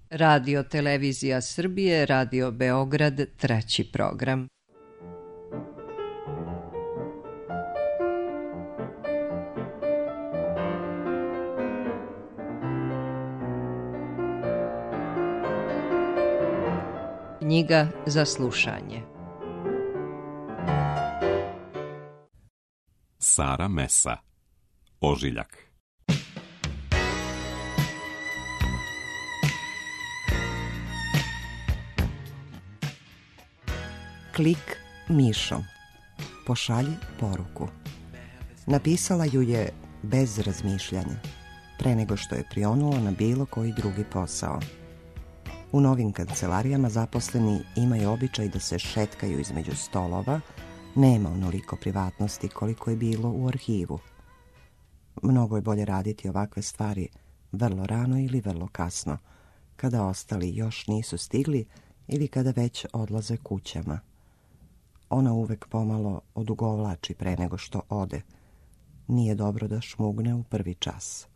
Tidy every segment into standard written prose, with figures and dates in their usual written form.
Radio Televizija Srbije, Radio Beograd, treći program. Knjiga za slušanje. Sara Mesa, Ožiljak. Klik mišom. Pošalji poruku. Napisala ju je bez razmišljanja, pre nego što je prionula na bilo koji drugi posao. U novim kancelarijama zaposleni imaju običaj da se šetkaju između stolova, nema onoliko privatnosti koliko je bilo u arhivu. Mnogo je bolje raditi ovakve stvari vrlo rano ili vrlo kasno, kada ostali još nisu stigli ili kada već odlaze kućama. Ona uvek pomalo odugovlači pre nego što ode. Nije dobro da šmugne u prvi čas.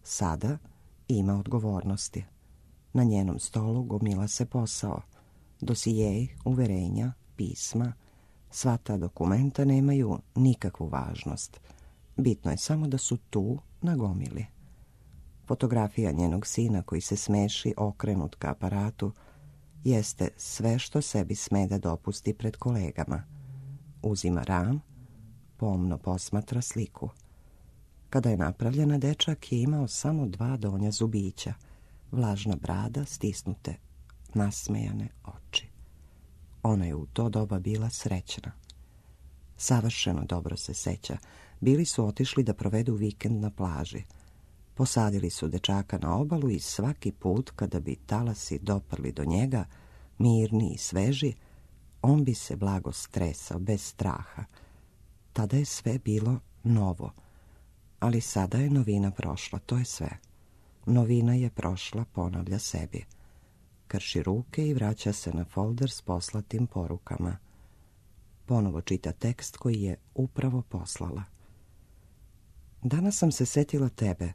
Sada ima odgovornosti. Na njenom stolu gomila se posao. Dosijeji, uverenja, pisma, sva ta dokumenta nemaju nikakvu važnost. Bitno je samo da su tu na gomili. Fotografija njenog sina koji se smeši okrenut ka aparatu jeste sve što sebi sme da dopusti pred kolegama. Uzima ram, pomno posmatra sliku. Kada je napravljena, dečak je imao samo 2 donja zubića, vlažna brada, stisnute, nasmejane oči. Ona je u to doba bila srećna. Savršeno dobro se seća. Bili su otišli da provedu vikend na plaži. Posadili su dečaka na obalu i svaki put kada bi talasi doprli do njega, mirni i sveži, on bi se blago stresao, bez straha. Tada je sve bilo novo, ali sada je novina prošla, to je sve. Novina je prošla, ponavlja sebi. Krši ruke i vraća se na folder s poslatim porukama. Ponovo čita tekst koji je upravo poslala. Danas sam se setila tebe.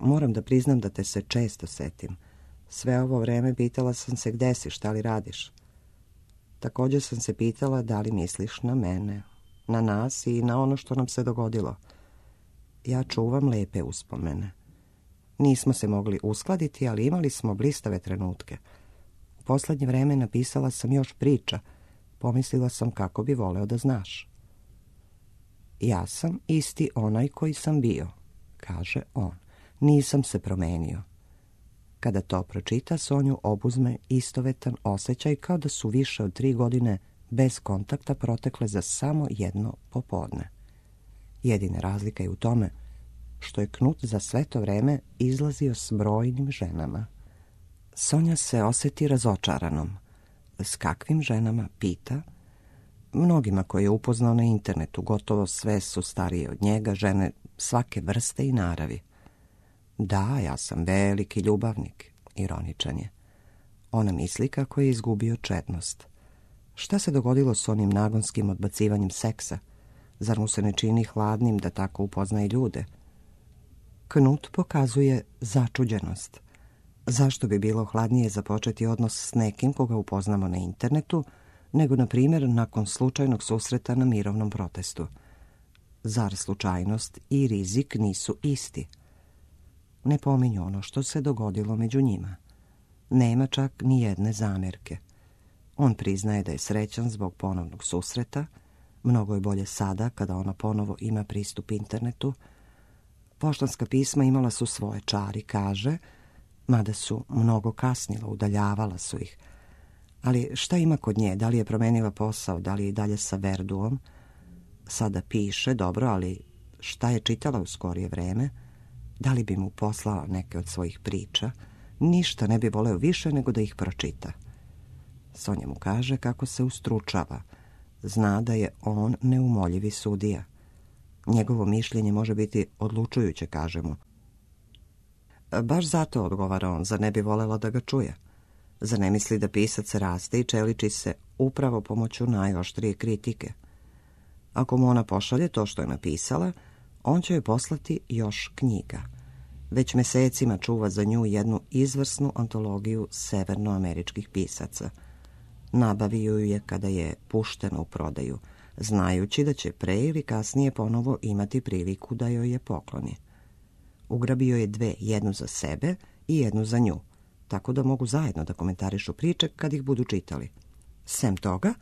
Moram da priznam da te se često setim. Sve ovo vreme pitala sam se gde si, šta li radiš. Također sam se pitala da li misliš na mene, na nas i na ono što nam se dogodilo. Ja čuvam lepe uspomene. Nismo se mogli uskladiti, ali imali smo blistave trenutke. U poslednje vreme napisala sam još priča. Pomislila sam kako bi voleo da znaš. Ja sam isti onaj koji sam bio, kaže on. Nisam se promenio. Kada to pročita, Sonju obuzme istovetan osjećaj kao da su više od 3 godine bez kontakta protekle za samo jedno popodne. Jedina razlika je u tome što je Knut za sve to vreme izlazio s brojnim ženama. Sonja se osjeti razočaranom. S kakvim ženama, pita? Mnogima koje je upoznao na internetu, gotovo sve su starije od njega, žene svake vrste i naravi. Da, ja sam veliki ljubavnik, ironičan je. Ona misli kako je izgubio čednost. Šta se dogodilo s onim nagonskim odbacivanjem seksa? Zar mu se ne čini hladnim da tako upoznaje ljude? Knut pokazuje začuđenost. Zašto bi bilo hladnije započeti odnos s nekim koga upoznamo na internetu, nego, na primjer, nakon slučajnog susreta na mirovnom protestu? Zar slučajnost i rizik nisu isti? Ne pominju ono što se dogodilo među njima. Nema čak ni jedne zamjerke. On priznaje da je srećan zbog ponovnog susreta. Mnogo je bolje sada kada ona ponovo ima pristup internetu. Poštanska pisma imala su svoje čari, kaže, mada su mnogo kasnila, udaljavala su ih. Ali šta ima kod nje? Da li je promenila posao? Da li je i dalje sa Verduom? Sada piše, dobro, ali šta je čitala u skorije vreme? Da li bi mu poslala neke od svojih priča? Ništa ne bi voleo više nego da ih pročita. Sonja mu kaže kako se ustručava. Zna da je on neumoljivi sudija. Njegovo mišljenje može biti odlučujuće, kaže mu. Baš zato, odgovara on, zar ne bi volela da ga čuje? Zar ne misli da pisac raste i čeliči se upravo pomoću najoštrije kritike? Ako mu ona pošalje to što je napisala, on će joj poslati još knjiga. Već mesecima čuva za nju jednu izvrsnu antologiju severnoameričkih pisaca. Nabavio ju je kada je puštena u prodaju, znajući da će pre ili kasnije ponovo imati priliku da joj je pokloni. Ugrabio je dve, jednu za sebe i jednu za nju, tako da mogu zajedno da komentarišu priče kad ih budu čitali. Sem toga,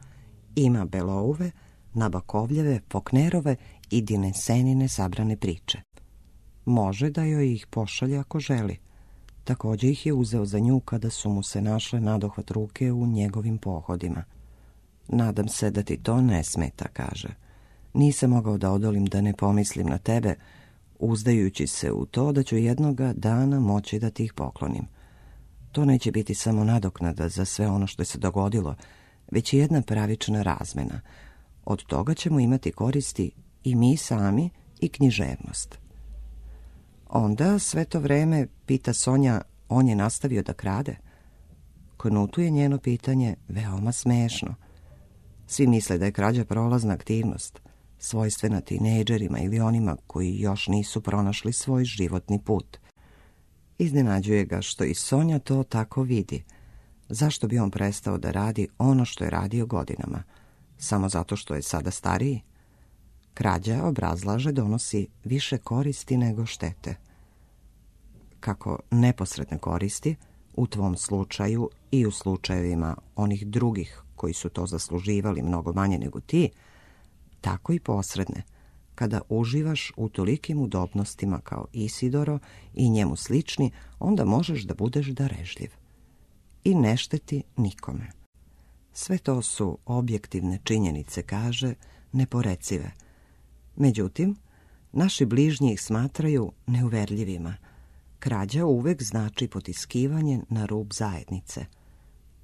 ima Belouve, Nabokovljeve, Faulknerove i Dinesenine sabrane priče. Može da joj ih pošalje ako želi. Također ih je uzeo za nju kada su mu se našle nadohvat ruke u njegovim pohodima. Nadam se da ti to ne smeta, kaže. Nisam mogao da odolim da ne pomislim na tebe, uzdajući se u to da ću jednoga dana moći da ti ih poklonim. To neće biti samo nadoknada za sve ono što je se dogodilo, već i jedna pravična razmena. Od toga ćemo imati koristi i mi sami i književnost. Onda sve to vreme, pita Sonja, on je nastavio da krade? Knutu je njeno pitanje veoma smešno. Svi misle da je krađa prolazna aktivnost, svojstvena tinejdžerima ili onima koji još nisu pronašli svoj životni put. Iznenađuje ga što i Sonja to tako vidi. Zašto bi on prestao da radi ono što je radio godinama? Samo zato što je sada stariji? Krađa, obrazlaže, donosi više koristi nego štete. Kako neposredne koristi, u tvom slučaju i u slučajevima onih drugih koji su to zasluživali mnogo manje nego ti, tako i posredne, kada uživaš u tolikim udobnostima kao Isidoro i njemu slični, onda možeš da budeš darežljiv. I ne šteti nikome. Sve to su objektivne činjenice, kaže, neporecive. Međutim, naši bližnji ih smatraju neuverljivima. Krađa uvek znači potiskivanje na rub zajednice.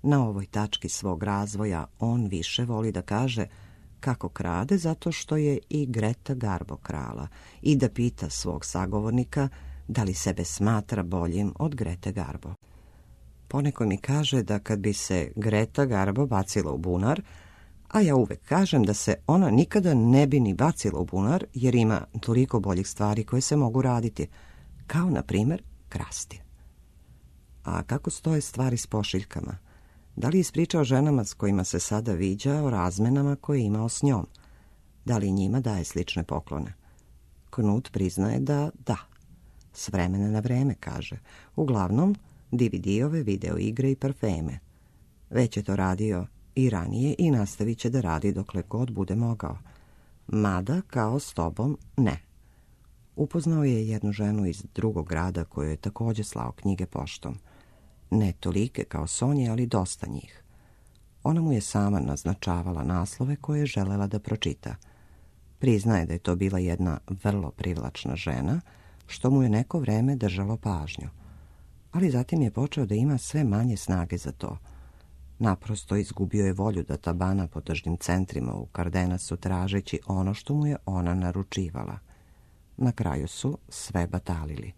Na ovoj tački svog razvoja on više voli da kaže kako krade zato što je i Greta Garbo krala i da pita svog sagovornika da li sebe smatra boljim od Grete Garbo. Poneko mi kaže da kad bi se Greta Garbo bacila u bunar, a ja uvek kažem da se ona nikada ne bi ni bacila u bunar jer ima toliko boljih stvari koje se mogu raditi, kao na primjer krasti. A kako stoje stvari s pošiljkama? Da li je ispričao ženama s kojima se sada viđa o razmenama koje je imao s njom? Da li njima daje slične poklone? Knut priznaje da da. S vremena na vreme, kaže. Uglavnom, DVD-ove, video igre i parfeme. Već je to radio i ranije i nastavit će da radi dokle god bude mogao. Mada, kao s tobom, ne. Upoznao je jednu ženu iz drugog grada koju je također slao knjige poštom. Ne tolike kao Sonje, ali dosta njih. Ona mu je sama naznačavala naslove koje je želela da pročita. Priznaje da je to bila jedna vrlo privlačna žena, što mu je neko vreme držalo pažnju. Ali zatim je počeo da ima sve manje snage za to. Naprosto izgubio je volju da tabana po tržnim centrima u Kardenasu tražeći ono što mu je ona naručivala. Na kraju su sve batalili.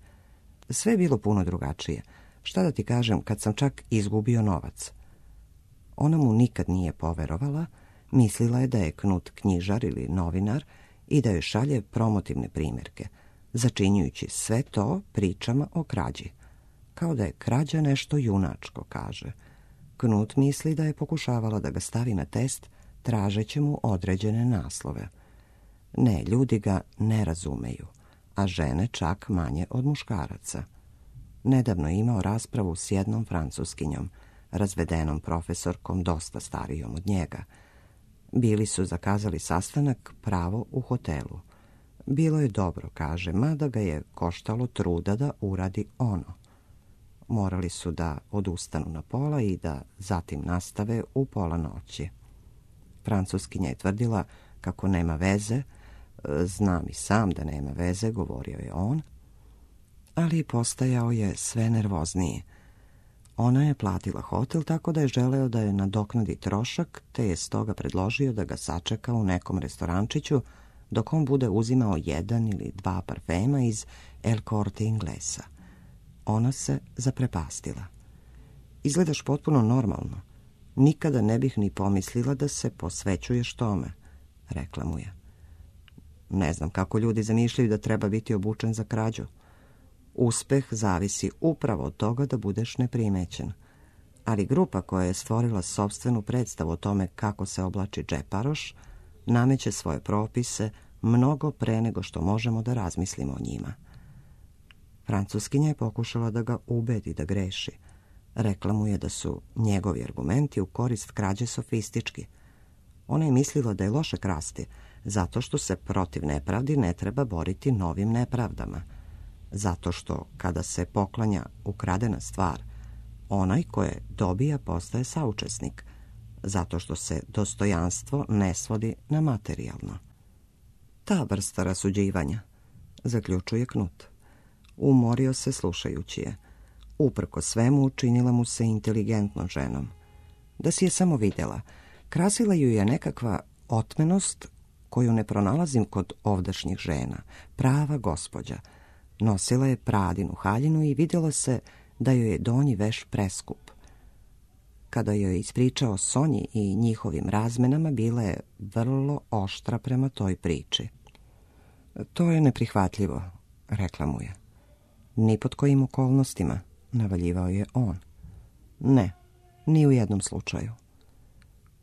Sve je bilo puno drugačije. Šta da ti kažem, kad sam čak izgubio novac. Ona mu nikad nije poverovala, mislila je da je Knut knjižar ili novinar i da joj šalje promotivne primjerke, začinjujući sve to pričama o krađi. Kao da je krađa nešto junačko, kaže. Knut misli da je pokušavala da ga stavi na test, tražeći mu određene naslove. Ne, ljudi ga ne razumeju, a žene čak manje od muškaraca. Nedavno je imao raspravu s jednom Francuskinjom, razvedenom profesorkom dosta starijom od njega. Bili su zakazali sastanak pravo u hotelu. Bilo je dobro, kaže, mada ga je koštalo truda da uradi ono. Morali su da odustanu na pola i da zatim nastave u pola noći. Francuskinja je tvrdila kako nema veze, znam i sam da nema veze, govorio je on, ali postajao je sve nervozniji. Ona je platila hotel tako da je želeo da je nadoknadi trošak, te je stoga predložio da ga sačeka u nekom restorančiću dok on bude uzimao 1 ili 2 parfema iz El Corte Inglesa. Ona se zaprepastila. Izgledaš potpuno normalno. Nikada ne bih ni pomislila da se posvećuješ tome, rekla mu je. Ne znam kako ljudi zamišljaju da treba biti obučen za krađu. Uspeh zavisi upravo od toga da budeš neprimećen. Ali grupa koja je stvorila sopstvenu predstavu o tome kako se oblači džeparoš, nameće svoje propise mnogo pre nego što možemo da razmislimo o njima. Francuskinja je pokušala da ga ubedi da greši. Rekla mu je da su njegovi argumenti u korist krađe sofistički. Ona je mislila da je loše krasti, zato što se protiv nepravdi ne treba boriti novim nepravdama. Zato što, kada se poklanja ukradena stvar, onaj koje dobija postaje saučesnik. Zato što se dostojanstvo ne svodi na materijalno. Ta vrsta rasuđivanja, zaključuje Knut. Umorio se slušajući je. Uprko svemu učinila mu se inteligentnom ženom. Da si je samo vidjela, krasila ju je nekakva otmenost koju ne pronalazim kod ovdašnjih žena, prava gospođa. Nosila je Pradinu haljinu i vidjelo se da joj je donji veš preskup. Kada joj je ispričao Sonji i njihovim razmenama, bila je vrlo oštra prema toj priči. To je neprihvatljivo, rekla mu je. Ni pod kojim okolnostima, navaljivao je on. Ne, ni u jednom slučaju.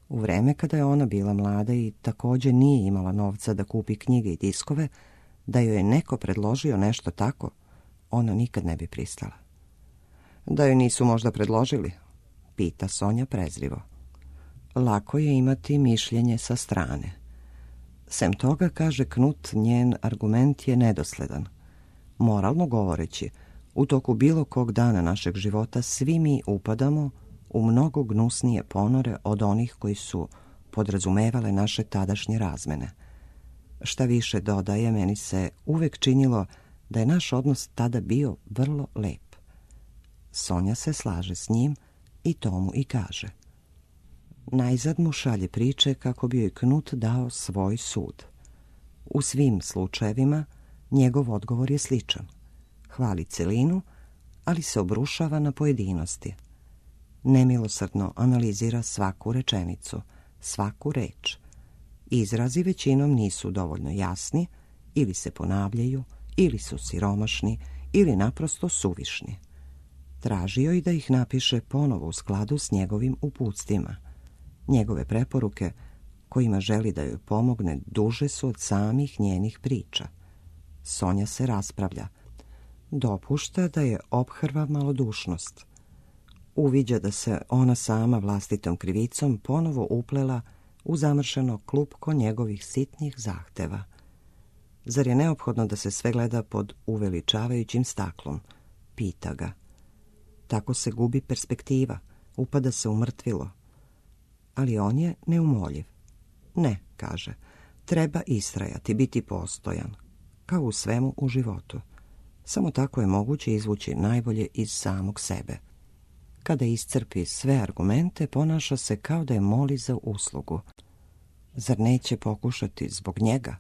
U vreme kada je ona bila mlada i također nije imala novca da kupi knjige i diskove, da joj je neko predložio nešto tako, ona nikad ne bi pristala. Da joj nisu možda predložili, pita Sonja prezrivo. Lako je imati mišljenje sa strane. Sem toga, kaže Knut, njen argument je nedosledan. Moralno govoreći, u toku bilo kog dana našeg života svi mi upadamo u mnogo gnusnije ponore od onih koji su podrazumevale naše tadašnje razmene. Šta više dodaje, meni se uvek činilo da je naš odnos tada bio vrlo lep. Sonja se slaže s njim i to mu i kaže. Najzad mu šalje priče kako bi joj Knut dao svoj sud. U svim slučajevima njegov odgovor je sličan. Hvali celinu, ali se obrušava na pojedinosti. Nemilosrdno analizira svaku rečenicu, svaku reč. Izrazi većinom nisu dovoljno jasni, ili se ponavljaju, ili su siromašni, ili naprosto suvišni. Tražio i da ih napiše ponovo u skladu s njegovim uputstvima. Njegove preporuke, kojima želi da joj pomogne, duže su od samih njenih priča. Sonja se raspravlja. Dopušta da je ophrva malodušnost. Uviđa da se ona sama vlastitom krivicom ponovo uplela u zamršeno klupko njegovih sitnih zahteva. Zar je neophodno da se sve gleda pod uveličavajućim staklom? Pita ga. Tako se gubi perspektiva, upada se u mrtvilo. Ali on je neumoljiv. Ne, kaže, treba istrajati, biti postojan, kao u svemu u životu. Samo tako je moguće izvući najbolje iz samog sebe. Kada iscrpi sve argumente, ponaša se kao da je moli za uslugu. Zar neće pokušati zbog njega?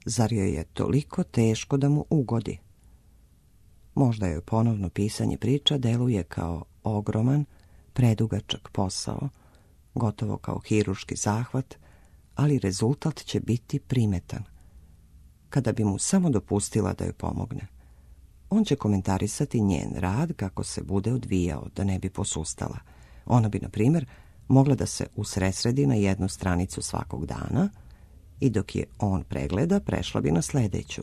Zar joj je toliko teško da mu ugodi? Možda joj ponovno pisanje priča deluje kao ogroman, predugačak posao, gotovo kao hirurški zahvat, ali rezultat će biti primetan. Kada bi mu samo dopustila da joj pomogne, on će komentarisati njen rad kako se bude odvijao, da ne bi posustala. Ona bi, na primjer, mogla da se usresredi na jednu stranicu svakog dana i dok je on pregleda, prešla bi na sljedeću.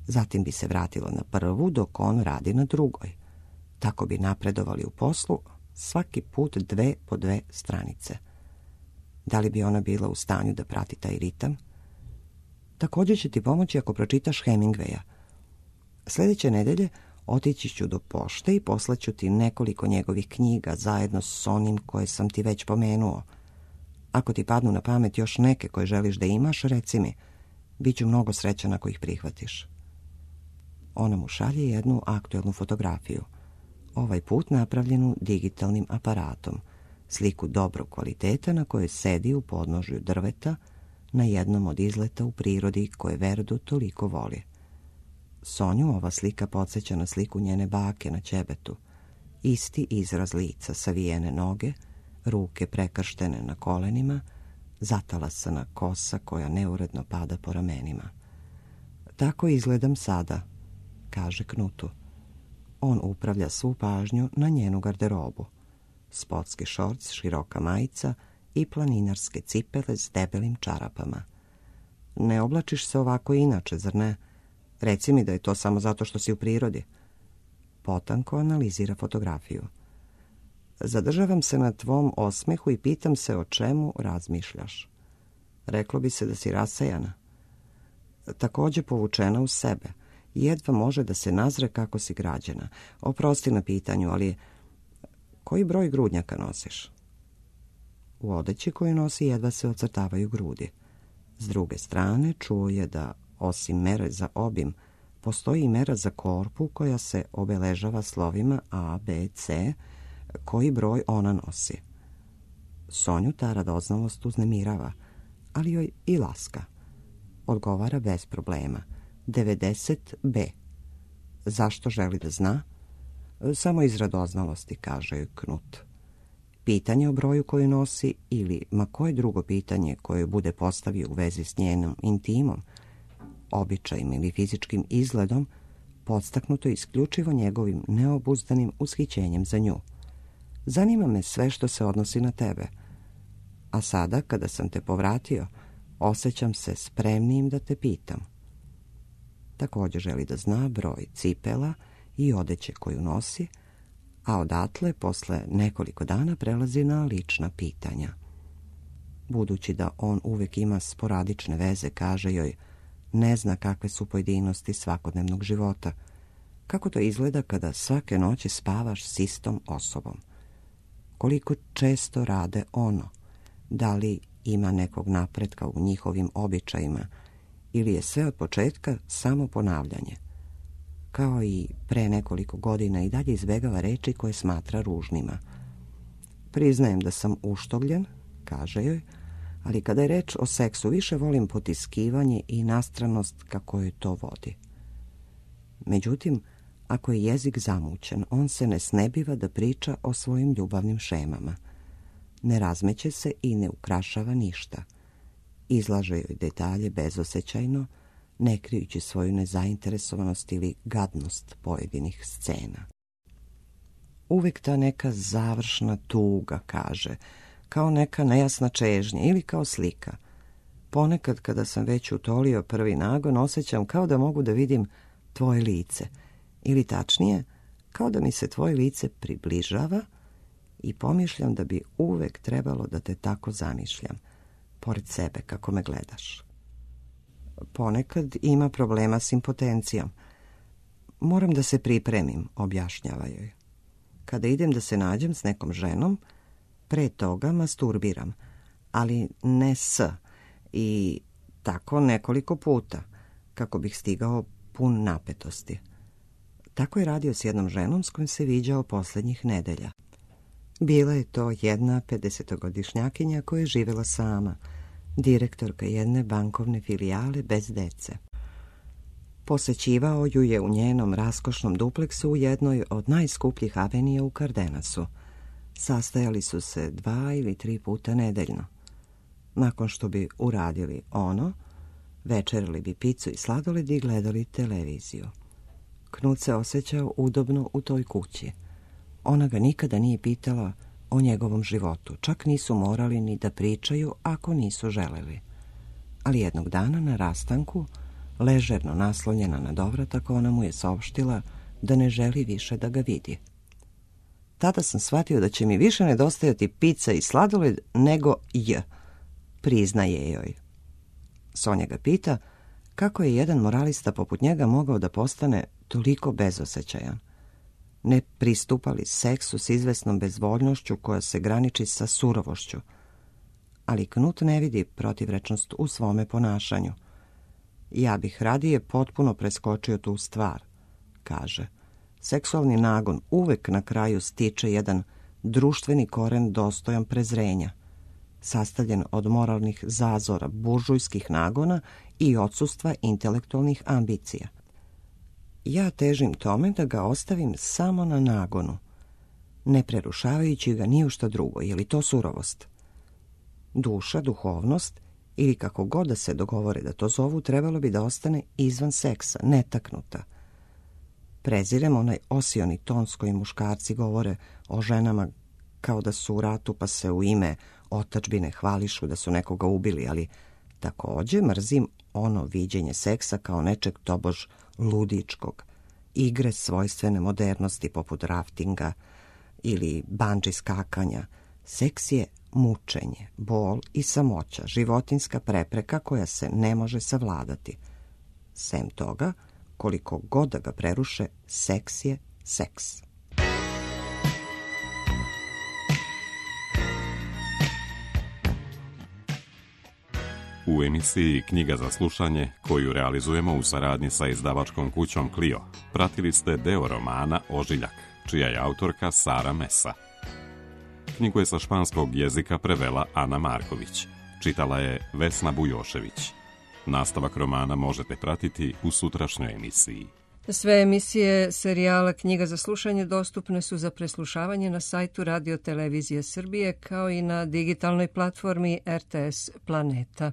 Zatim bi se vratila na prvu dok on radi na drugoj. Tako bi napredovali u poslu, svaki put 2 po 2 stranice. Da li bi ona bila u stanju da prati taj ritam? Također će ti pomoći ako pročitaš Hemingwaya. Sljedeće nedelje otići ću do pošte i poslaću ti nekoliko njegovih knjiga zajedno s onim koje sam ti već pomenuo. Ako ti padnu na pamet još neke koje želiš da imaš, reci mi. Biću mnogo srećan ako ih prihvatiš. Ona mu šalje jednu aktuelnu fotografiju. Ovaj put napravljenu digitalnim aparatom. Sliku dobrog kvaliteta na kojoj sedi u podnožju drveta na jednom od izleta u prirodi koje Verdu toliko voli. Sonju ova slika podsjeća na sliku njene bake na ćebetu. Isti izraz lica, savijene noge, ruke prekrštene na kolenima, zatalasana kosa koja neuredno pada po ramenima. Tako izgledam sada, kaže Knutu. On upravlja svu pažnju na njenu garderobu. Sportski šorc, široka majica i planinarske cipele s debelim čarapama. Ne oblačiš se ovako inače, zar ne? Reci mi da je to samo zato što si u prirodi. Potanko analizira fotografiju. Zadržavam se na tvom osmehu i pitam se o čemu razmišljaš. Reklo bi se da si rasejana. Također povučena u sebe. Jedva može da se nazre kako si građena. Oprosti na pitanju, ali koji broj grudnjaka nosiš? U odeći koju nosi jedva se ocrtavaju grudi. S druge strane čuo je da, osim mere za obim, postoji i mera za korpu koja se obeležava slovima A, B, C, koji broj ona nosi. Sonju ta radoznalost uznemirava, ali joj i laska. Odgovara bez problema. 90B. Zašto želi da zna? Samo iz radoznalosti, kaže joj Knut. Pitanje o broju koju nosi ili ma koje drugo pitanje koje bude postavio u vezi s njenom intimom, običajim ili fizičkim izgledom, podstaknuto isključivo njegovim neobuzdanim ushićenjem za nju. Zanima me sve što se odnosi na tebe. A sada, kada sam te povratio, osjećam se spremnijim da te pitam. Također želi da zna broj cipela i odeće koju nosi, a odatle, posle nekoliko dana, prelazi na lična pitanja. Budući da on uvek ima sporadične veze, kaže joj, ne zna kakve su pojedinosti svakodnevnog života. Kako to izgleda kada svake noći spavaš s istom osobom? Koliko često rade ono? Da li ima nekog napretka u njihovim običajima ili je sve od početka samo ponavljanje? Kao i pre nekoliko godina i dalje izbegava reči koje smatra ružnima. Priznajem da sam uštogljen, kaže joj, ali kada je reč o seksu više volim potiskivanje i nastranost kako joj to vodi. Međutim, ako je jezik zamućen, on se ne snebiva da priča o svojim ljubavnim šemama. Ne razmeće se i ne ukrašava ništa. Izlaže joj detalje bezosećajno, ne krijući svoju nezainteresovanost ili gadnost pojedinih scena. Uvijek ta neka završna tuga, kaže, kao neka nejasna čežnja ili kao slika. Ponekad, kada sam već utolio prvi nagon, osjećam kao da mogu da vidim tvoje lice, ili tačnije, kao da mi se tvoje lice približava i pomišljam da bi uvek trebalo da te tako zamišljam, pored sebe kako me gledaš. Ponekad ima problema s impotencijom. Moram da se pripremim, objašnjava joj. Kada idem da se nađem s nekom ženom, pre toga masturbiram, ali ne i tako nekoliko puta, kako bih stigao pun napetosti. Tako je radio s jednom ženom s kojom se viđao posljednjih nedelja. Bila je to jedna 50-godišnjakinja koja je živjela sama, direktorka jedne bankovne filijale bez dece. Posećivao ju je u njenom raskošnom dupleksu u jednoj od najskupljih avenija u Cardenasu. Sastajali su se 2 ili 3 puta nedeljno. Nakon što bi uradili ono, večerali bi picu i sladoled i gledali televiziju. Knut se osjećao udobno u toj kući. Ona ga nikada nije pitala o njegovom životu, čak nisu morali ni da pričaju ako nisu želeli. Ali jednog dana na rastanku, ležerno naslonjena na dovratak, ona mu je saopštila da ne želi više da ga vidi. Tada sam shvatio da će mi više nedostajati pica i sladoled nego priznaje joj. Sonja ga pita kako je jedan moralista poput njega mogao da postane toliko bezosećajan. Ne pristupali seksu s izvesnom bezvoljnošću koja se graniči sa surovošću. Ali Knut ne vidi protivrečnost u svome ponašanju. Ja bih radije potpuno preskočio tu stvar, kaže. Seksualni nagon uvek na kraju stiče jedan društveni koren dostojan prezrenja, sastavljen od moralnih zazora, buržujskih nagona i odsustva intelektualnih ambicija. Ja težim tome da ga ostavim samo na nagonu, ne prerušavajući ga ni u šta drugo. Je li to surovost? Duša, duhovnost ili kako god da se dogovore da to zovu, trebalo bi da ostane izvan seksa, netaknuta. Prezirem onaj osioni ton s kojim muškarci govore o ženama kao da su u ratu pa se u ime otadžbine hvališu da su nekoga ubili, ali takođe mrzim ono viđenje seksa kao nečeg tobož ludičkog, igre svojstvene modernosti poput raftinga ili bandži skakanja. Seks je mučenje, bol i samoća, životinska prepreka koja se ne može savladati. Sem toga, koliko god da ga preruše, seks je seks. U emisiji Knjiga za slušanje, koju realizujemo u saradnji sa izdavačkom kućom Clio, pratili ste deo romana Ožiljak, čija je autorka Sara Mesa. Knjigu je sa španskog jezika prevela Ana Marković. Čitala je Vesna Bujošević. Nastavak romana možete pratiti u sutrašnjoj emisiji. Sve emisije serijala Knjiga za slušanje dostupne su za preslušavanje na sajtu Radio Televizije Srbije kao i na digitalnoj platformi RTS Planeta.